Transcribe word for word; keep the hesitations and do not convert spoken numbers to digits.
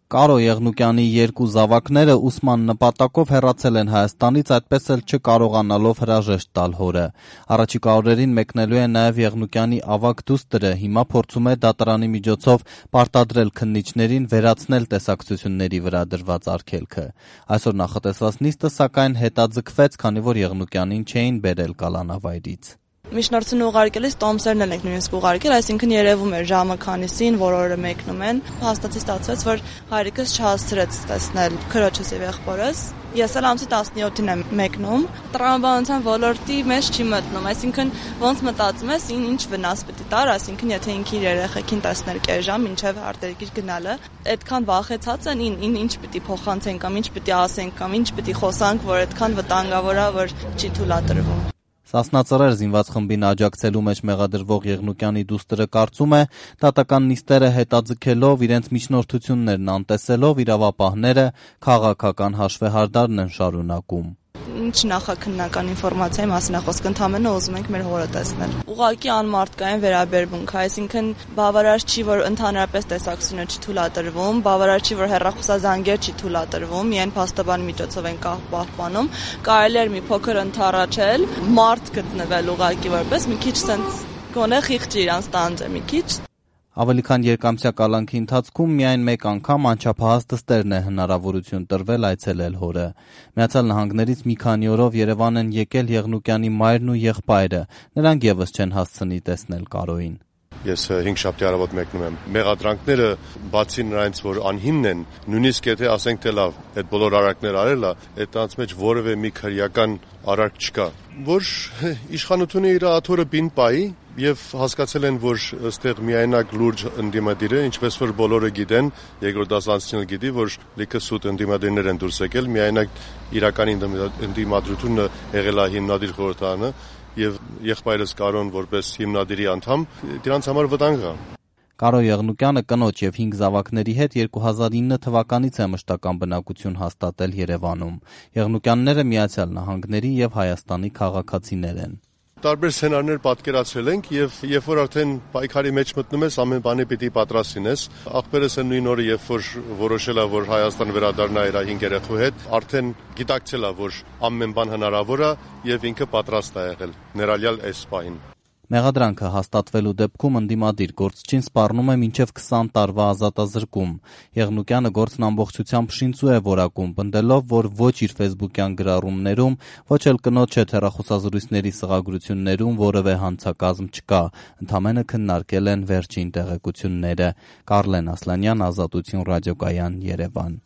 Կարո Եղնուկյանի երկու զավակները ուսման նպատակով հեռացել են Հայաստանից, այդպես էլ չկարողանալով հրաժեշտ տալ հորը։ Առաջիկա օրերին մեկնելու է նաև Եղնուկյանի ավագ դուստրը, հիմա փորձում է դատարանի միջոցով պարտադրել քննիչներին վերացնել տեսակցությունների վրա դրված արգելքը։ Այսօր նախատեսված նիստը սակայն հետաձգվեց, քանի որ Եղնուկյանին չէին բերել կալանավայրից։ Միջնորդությունը ուղարկելիս տոմսերն են նույնիսկ ուղարկել, այսինքն երևում էր ժամը քանիսին, որ օրը մեկնում են։ Հաստատի ստացվեց, որ հայրիկս չհասցրեց տեսնել քրոջս եւ եղբորս։ Ես էլ ամսի տասնյոթին եմ մեկնում։ Տրամաբանության ոլորտի մեջ չի մտնում, այսինքն ոնց մտածում ես, ինչ վնաս պետք է տար, այսինքն եթե ինքը իր երեխեքին տեսներ կես ժամ մինչև արտերկիր գնալը, այդքան վախեցած են, ին ինչ պետք է փոխանցեն կամ ինչ պետք է ասեն կամ ինչ պետք է խոսանք, որ այդքան վտանգավոր է, որ չի թույլատրվում։ Սասնա Ծռեր զինված խմբին աջակցելու մեջ մեղադրվող Եղնուկյանի դուստրը կարծում է, դատական նիստերը հետաձգելով, իրենց միջնորդություններն անտեսելով, իրավապահները քաղաքական հաշվեհարդարն են շարունակում։ Ինչ նախաքննական ինֆորմացիայի մասին է խոսքը, ընդհանրապես ուզում ենք մեր հորը տեսնել։ Ուղղակի անմարդկային վերաբերմունք, այսինքն բավարար չի, որ ընդհանրապես տեսակցությունը չի թույլատրվում, բավարար չի, որ հեռախոսազանգեր չի թույլատրվում, միայն փաստաբանի միջոցով են պահպանում, կարելի էր մի փոքր ընդառաջել, մարդ գտնվել ուղղակի որպես մի քիչ sense գոնե խիղճ իրանց տանջը մի քիչ։ Ավելի քան երկամսյա կալանքի ընթացքում միայն մեկ անգամ անչափահաս դստերն է հնարավորություն տրվել այցելել հորը։ Միացյալ Նահանգներից մի քանի օրով Երևան են եկել Եղնուկյանի մայրն ու եղբայրը, նրանք եւս չեն հասցնի տեսնել Կարոյին։ Ես հինգշաբթի առավոտ մեկնում եմ։ Մեղադրանքները բացի նրանից, որ անհիմն են, նույնիսկ եթե ասենք թե լավ, այդ բոլոր արարքները արել է, այդ տանց մեջ որևէ մի քրեական արարք չկա, որ իշխանությունը իր աթոռը բին պայի եւ հասկացել են, որ այստեղ միայնակ լուրջ ընդդիմադիր է, ինչպես որ բոլորը գիտեն, երկրորդ դասանցիները գիտի, որ լիքը սուտ ընդդիմադիրներ են դուրս եկել, միայնակ իրական ընդդիմադրությունը եղել է հիմնադիր խորհրդարանը եւ եղբայրս Կարոն որպես հիմնադիրի անդամ, դրանց համար վտանգ է։ Կարո Եղնուկյանը կնոջ եւ հինգ զավակների հետ երկու հազար ինը թվականից է մշտական բնակություն հաստատել Երևանում։ Եղնուկյանները Միացյալ Նահանգների եւ Հայաստանի քաղաքացիներ են։ Տարբեր սցենարներ պատկերացրել ենք եւ երբ որ արդեն պայքարի մեջ մտնում ես, ամեն բանի պիտի պատրաստ լինես։ Աղբերս են նույն օրը, երբ որ որոշել է, որ Հայաստան վերադառնա իր հինգ երեխու հետ, արդեն գիտակցել է, որ ամեն բան հնարավոր է եւ ինքը պատրաստ է եղել, ներառյալ այս պահին։ Մեղադրանքը հաստատվելու դեպքում ընդդիմադիր գործչին սպառնում է մինչև քսան տարվա ազատազրկում։ Եղնուկյանը գործն ամբողջությամբ շինծու է որակում, պնդելով, որ ոչ իր ֆեյսբուքյան գրառումներում, ոչ էլ կնոջ հետ հեռախոսազրույցների սղագրություններում որևէ հանցակազմ չկա, ընդամենը քննարկել են վերջին տեղեկությունները։ Կարլեն Ասլանյան, Ազատություն ռադիոկայան, Երևան։